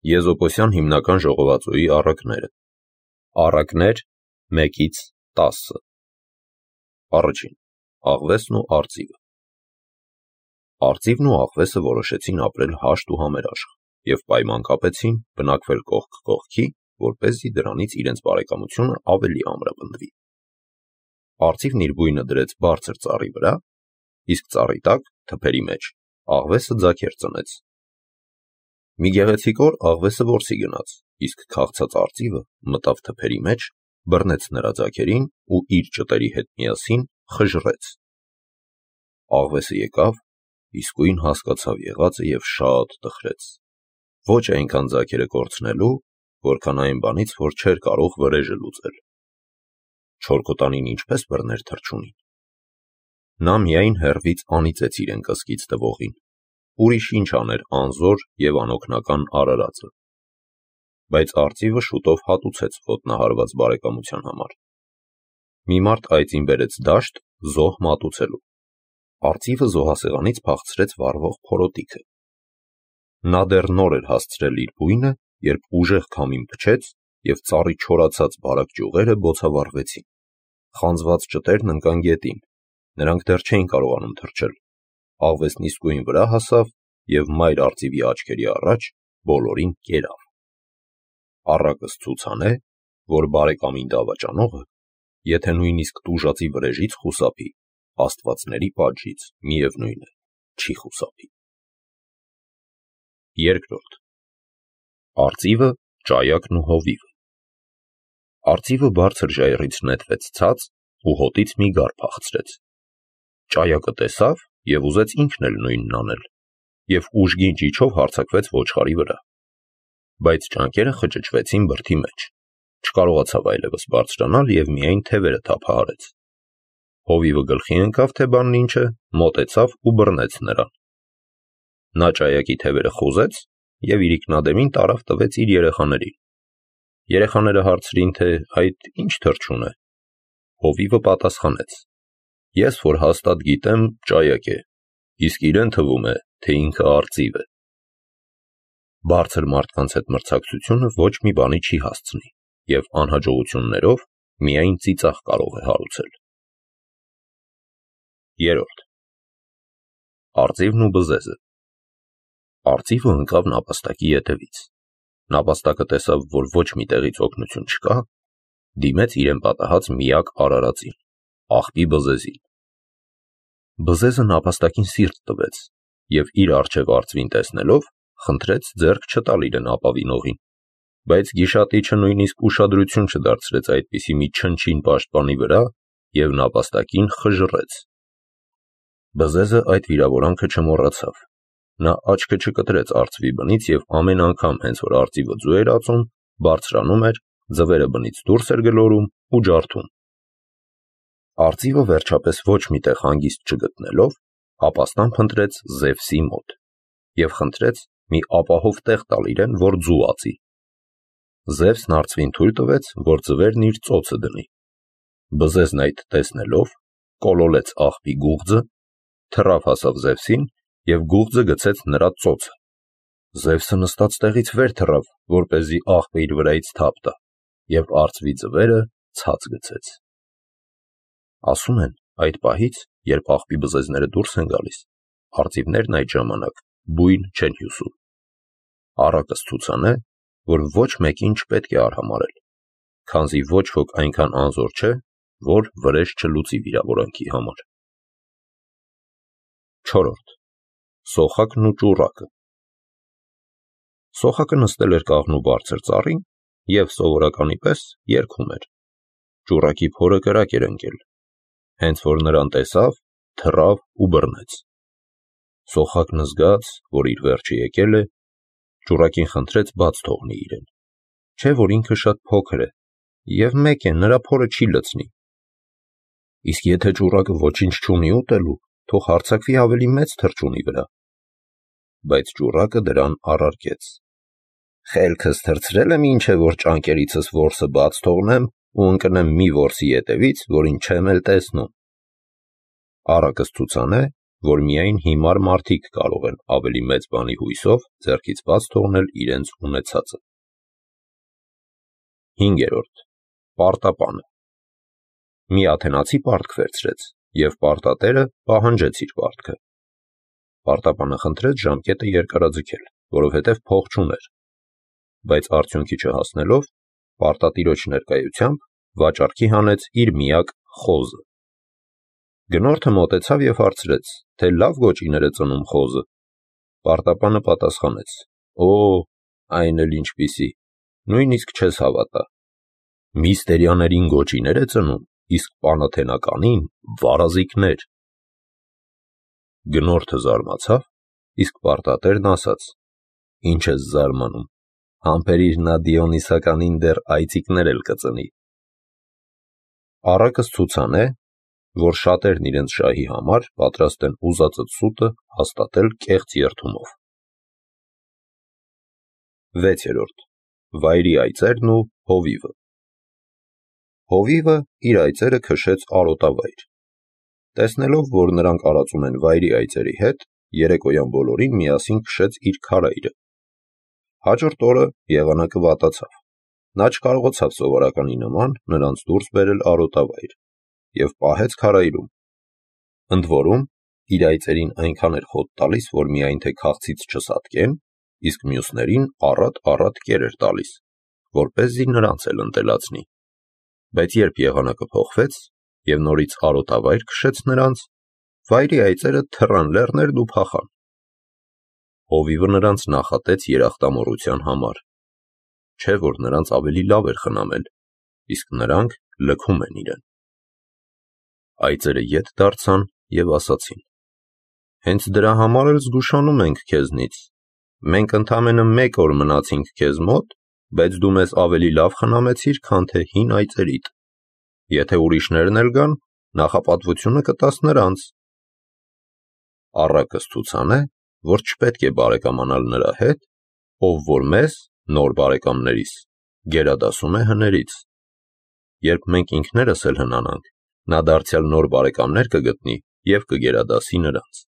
Եզոպոսյան հիմնական ժողովածուի առակները։ Առակներ 1-10։ Առաջին. Աղվեսն ու արծիվը։ Արծիվն ու աղվեսը որոշեցին ապրել հաշտ ու համերաշխ և պայման կապեցին բնակվել կողք կողքի, որպեսզի դրանից իրենց բարեկամությունը ավելի ամրապնդվի։ Արծիվն իր բույնը դրեց բարձր ծառի վրա, իսկ ծառի տակ, թփերի մեջ, աղվեսը ձագեր ծնեց։ Մի գեղեցիկ օր աղվեսը որսի գնաց, իսկ քաղցած արծիվը մտավ թփերի մեջ, բռնեց նրա ձագերին ու իր ճտերի հետ միասին խժռեց։ Աղվեսը եկավ, իսկույն հասկացավ եղածը և շատ տխրեց, ոչ այնքան ձագերը կորցնելու, որքան այն բանից, որ չէր կարող վրեժը լուծել։ Չորքոտանին ինչպես բռներ թռչունին։ Նա միայն հեռվից անիծեց իրեն կսկիծ տվողին, ուրիշ ինչ աներ անզոր և անօգնական արարածը։ Բայց արծիվը շուտով հատուցեց ոտնահարված բարեկամության համար։ Մի մարդ այծին բերեց դաշտ զոհ մատուցելու։ Արծիվը զոհասեղանից փախցրեց վառվող փորոտիքը։ Նա դեռ նոր էր հասցրել իր բույնը, երբ ուժեղ քամին փչեց և ծառի չորացած բարակ ճյուղերը բոցավառվեցին։ Խանձված ճտերն ընկան գետին, նրանք դեռ չէին կարողանում թռչել։ Աղվեսն իսկույն վրա հասավ և մայր արծիվի աչքերի առաջ բոլորին կերավ։ Առակս ցուցանե, որ բարեկամին դավաճանողը, եթե նույնիսկ տուժածի վրեժից խուսափի, աստվածների պատժից միևնույն է, չի խուսափի։ Երկրորդ. Արծիվը, ճայակն ու հովիվը։ Արծիվը բարձր ժայռից նետվեց ցած ու հոտից մի գար փախցրեց։ Ճայակը տեսավ և ուզեց ինքն էլ նույնն անել, և ուժգին ճիչով հարձակվեց ոչխարի վրա։ Բայց ճանկերը խճճվեցին բրդի մեջ, չկարողացավ այլևս բարձրանալ և միայն թևերը թափահարեց։ Հովիվը գլխի ընկավ, թե բանն ինչ է, մոտեցավ ու բռնեց նրան։ Նա ճայակի թևերը խոզեց և իրիկնադեմին տարավ տվեց իր երեխաներին։ Երեխաները հարցրին, թե այդ ինչ թռչուն է։ Հովիվը պատասխանեց. Ես որ հաստատ գիտեմ, ճայակ է, իսկ իրեն թվում է, թե ինքը արծիվ է։ Բարձր մարդկանց հետ մրցակցությունը ոչ մի բանի չի հասցնի և անհաջողություններով միայն ծիծաղ կարող է հարուցել։ Երրորդ. Արծիվն ու բզեզը։ Արծիվը ընկավ նապաստակի ետևից։ Նապաստակը տեսավ, որ ոչ մի տեղից օգնություն չկա, դիմեց իրեն պատահած միակ արարածին, աղբի բզեզին։ Բզեզը նապաստակին սիրտ տվեց և իր առջև արծվին տեսնելով խնդրեց ձեռք չտալ իրեն ապավինողին, բայց գիշատիչը նույնիսկ ուշադրություն չդարձրեց այդպիսի մի չնչին պաշտպանի վրա և նապաստակին խժռեց։ Բզեզը այդ վիրավորանքը չմոռացավ։ Նա աչքը չկտրեց արծվի բնից և ամեն անգամ, հենց որ արծիվը ձու էր ածում, բարձրանում էր, ձվերը բնից դուրս էր գլորում ու ջարդում։ Արծիվը վերջապես ոչ մի տեղ հանգիստ չգտնելով, ապաստան փնտրեց Զևսի մոտ և խնդրեց մի ապահով տեղ տալ իրեն, որ ձու ածի։ Զևսն արծվին թույլ տվեց, որ ձվերն իր ծոցը դնի։ Բզեզն այդ տեսնելով, կոլոլեց աղբի գուղձը, թռավ հասավ Զևսին և գուղձը գցեց նրա ծոցը։ Զևսը նստած տեղից վեր թռավ, որպեսզի աղբը իր վրայից թափ տա, և արծվի ձվերը ցած գցեց։ Ասում են, այդ պահից, երբ աղբի բզեզները դուրս են գալիս, արծիվներն այդ ժամանակ բույն չեն հյուսում։ Առակս ցուցանե, որ ոչ մեկին չպետք է արհամարհել, քանզի ոչ ոք այնքան անզոր չէ, որ վրեժ չլուծի վիրավորանքի համար։ Չորրորդ. Սոխակն ու ճուռակը։ Սոխակը նստել էր կաղնու բարձր ծառին և սովորականի պես երգում էր։ Ճուռակի փորը կրակ էր ընկել։ Հենց որ նրան տեսավ, թռավ ու բռնեց։ Սոխակն զգաց, որ իր վերջը եկել է, ճուռակին խնդրեց բաց թողնի իրեն, չէ՞ որ ինքը շատ փոքր է և մեկ է, նրա փորը չի լցնի։ Իսկ եթե ճուռակը ոչինչ չունի ուտելու, թող հարձակվի ավելի մեծ թռչունի վրա։ Բայց ճուռակը դրան առարկեց. Խելքս թռցրել եմ, ինչ է, որ ճանկերիցս որսը բաց թողնեմ ու ընկնեմ մի որսի ետևից, որին չեմ էլ տեսնում։ Առակս ցուցանե, որ միայն հիմար մարդիկ կարող են ավելի մեծ բանի հույսով ձեռքից բաց թողնել իրենց ունեցածը։ 5. Պարտապանը։ Մի աթենացի պարտք վերցրեց, և պարտատերը պահանջեց իր պարտքը։ Պարտապանը խնդրեց ժամկետը երկարաձգել, որովհետև փող չուներ, բայց արդյունքի չհասնելով, պարտատիրոջ ներկայությամբ վաճառքի հանեց իր միակ խոզը։ Գնորդը մոտեցավ և հարցրեց, թե լավ գոճիներ է ծնում խոզը։ Պարտապանը պատասխանեց. «Օ, այն էլ ինչպիսի, նույնիսկ չես հավատա։ Միստերիաներին գոճիներ է ծնում, իսկ պանաթենականին վարազիկներ»։ Գնորդը զարմացավ, իսկ պարտատերն ասաց. «Ինչ ես զարմանում, համբերիր նա Դիոնիսականին դեռ այծիկներ էլ կծնի»։ Առակս ցուցան է, որ շատերն իրենց շահի համար պատրաստ են ուզածդ սուտը հաստատել կեղծ երդումով։ 6. Վայրի այծերն ու հովիվը։ Հովիվը իր այծերը քշեց արոտավայր։ Տեսնելով, որ նրանք արածում են վայրի այծերի հետ, երեկոյան բոլորին միասին քշեց իր քարայրը։ Հաջորդ օրը եղանակը վատացավ։ Նա չկարողացավ սովորականի նման նրանց դուրս բերել արոտավայր և պահեց քարայրում։ Ընդ որում, իր այծերին այնքան էր խոտ տալիս, որ միայն թե քաղցից չսատկեն, իսկ մյուսներին առատ կեր էր տալիս, որպեսզի նրանց էլ ընտելացնի։ Բայց երբ եղանակը փոխվեց և նորից արոտավայր քշեց նրանց, վայրի այծերը թռան լեռներն ու փախան։ Հովիվը նրանց նախատեց երախտամոռության համար, չէ՞ որ նրանց ավելի լավ էր խնամել, իսկ նրանք լքում են իրեն։ Այծերը ետ դարձան և ասացին. «Հենց դրա համար էլ զգուշանում ենք քեզնից։ Մենք ընդամենը 1 օր մնացինք քեզ մոտ, բայց դու մեզ ավելի լավ խնամեցիր, քան թե հին այծերիդ։ Եթե ուրիշներն էլ գան, նախապատվությունը կտաս նրանց»։ Առակս ցուցան է, որ չպետք է բարեկամանալ նրա հետ, ով որ մեզ, նոր բարեկամներիս, գերադասում է հներից։ Երբ մենք ինքներս էլ հնանանք, նա դարձյալ նոր բարեկամներ կգտնի և կգերադասի նրանց։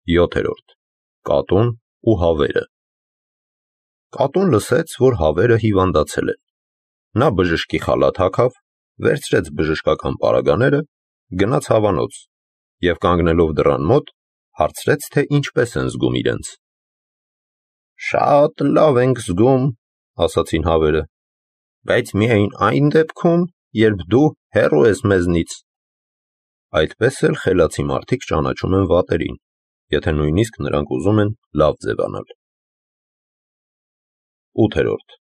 7. Կատուն ու հավերը։ Կատուն լսեց, որ հավերը հիվանդացել են։ Նա բժշկի խալաթ հագավ, վերցրեց բժշկական պարագաները, գնաց հավանոց և կանգնելով դռան մոտ, հարցրեց, թե ինչպես են զգում իրենց։ «Շատ լավ ենք զգում», ասացին հավերը, «բայց միայն այն դեպքում, երբ դու հեռու ես մեզնից»։ Այդպես էլ խելացի մարդիկ ճանաչում են վատերին, եթե նույնիսկ նրանք ուզում են լավ ձևանալ։ 8.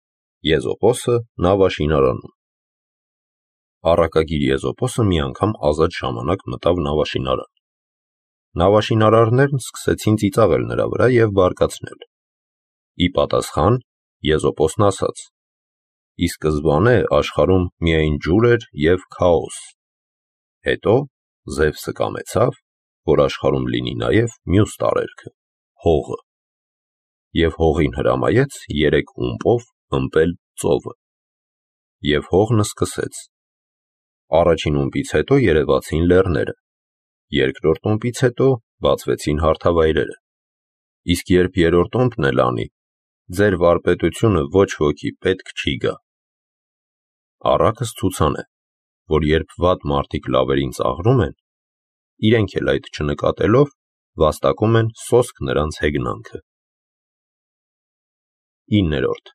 Եզոպոսը նավաշինարանում։ Առակագիր Եզոպոսը մի անգամ ազատ ժամանակ մտավ նավաշինարան։ Նավաշինարարներն սկսեցին ծիծաղել նրա վրա և բարկացնել։ Ի պատասխան Եզոպոսն ասաց. «Ի սկզբանե աշխարհում միայն ջուր էր և քաոս։ Հետո Զևսը կամեցավ, որ աշխարհում լինի նաև մյուս տարերքը՝ հողը։ Եվ հողին հրամայեց 3 ումպով ըմպել ծովը։ Եվ հողն սկսեց։ Առաջին ումպից հետո երևացին լեռները, երկրորդ ումպից հետո բացվեցին հարթավայրերը։ Իսկ երբ երրորդ ումպն էլ անի, ձեր վարպետությունը ոչ ոքի պետք չի գա»։ Առակս ցուցան է, որ երբ վատ մարդիկ լավերին ծաղրում են, իրենք էլ այդ չնկատելով, վաստակում են սոսկ նրանց հեգնանքը։ 9.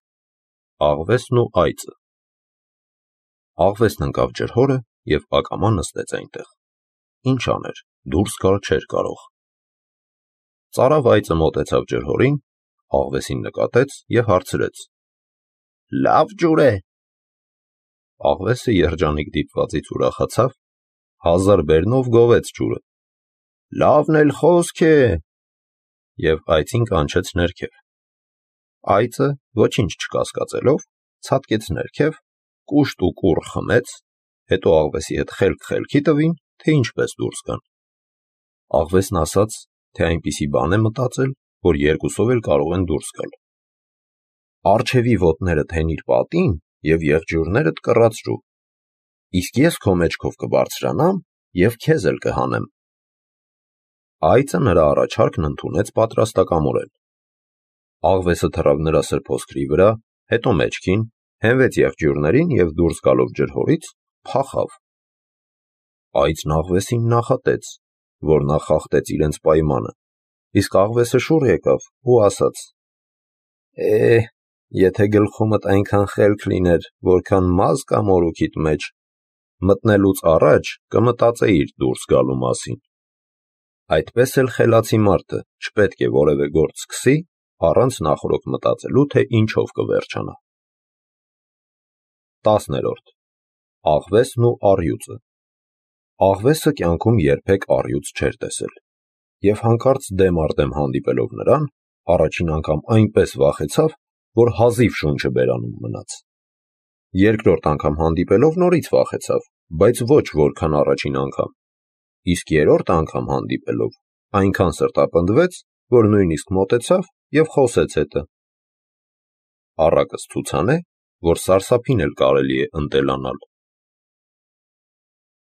Աղվեսն ու այծը։ Աղվեսն ընկավ ջրհորը և ակամա նստեց այնտեղ։ Ինչ աներ, դուրս գալ չէր կարող։ Ծարավ այծը մոտեցավ ջրհորին, աղվեսին նկատեց և հարցրեց. «Լավ ջուր է»։ Աղվեսը երջանիկ դիպվածից ուրախացավ, 1000 բերնով գովեց ջուրը։ «Լավն էլ խոսք է»։ Եվ այծին կանչեց ներքև։ Այծը, ոչինչ չկասկածելով, ցատկեց ներքև, կուշտ ու կուռ խմեց, հետո աղվեսի հետ խելք խելքի տվին, թե ինչպես դուրս գան։ Աղվեսն ասաց, թե այնպիսի բան է մտածել, որ երկուսով էլ կարող են դուրս գալ։ «Առջևի ոտներդ հենիր պատին և եղջյուրներդ կռացրու, իսկ ես քո մեջքով կբարձրանամ և քեզ էլ կհանեմ»։ Այծը նրա առաջարկն ընդունեց պատրաստակամորեն։ Աղվեսը թռավ նրա սրբոսկրի վրա, հետո մեջքին, հենվեց եղջյուրներին և դուրս գալով ջրհորից, փախավ։ Այծն աղվեսին նախատեց, որ նա խախտեց իրենց պայմանը, իսկ աղվեսը շուռ եկավ ու ասաց. եթե գլխումդ այնքան խելք լիներ, որքան մազ կա մորուքիդ մեջ, մտնելուց առաջ կմտածեիր դուրս գալու մասին։ Այդպես էլ խելացի մարդը չպետք է որևէ գործ սկսի, առանց նախօրոք մտածելու, թե ինչով կվերջանա։ 10. Աղվեսն ու առյուծը։ Աղվեսը կյանքում երբեք առյուծ չէր տեսել, և հանկարծ դեմ առ դեմ հանդիպելով նրան, առաջին անգամ այնպես վախեցավ, որ հազիվ շունչը բերանում մնաց։ Երկրորդ անգամ հանդիպելով նորից վախեցավ, բայց ոչ որքան առաջին անգամ, իսկ երրորդ անգամ հանդիպելով այնքան սրտապնդվեց, որ նույնիսկ մոտեցավ և խոսեց հետը։ Առակս ցուցան է, որ սարսափին էլ կարելի է ընտելանալ։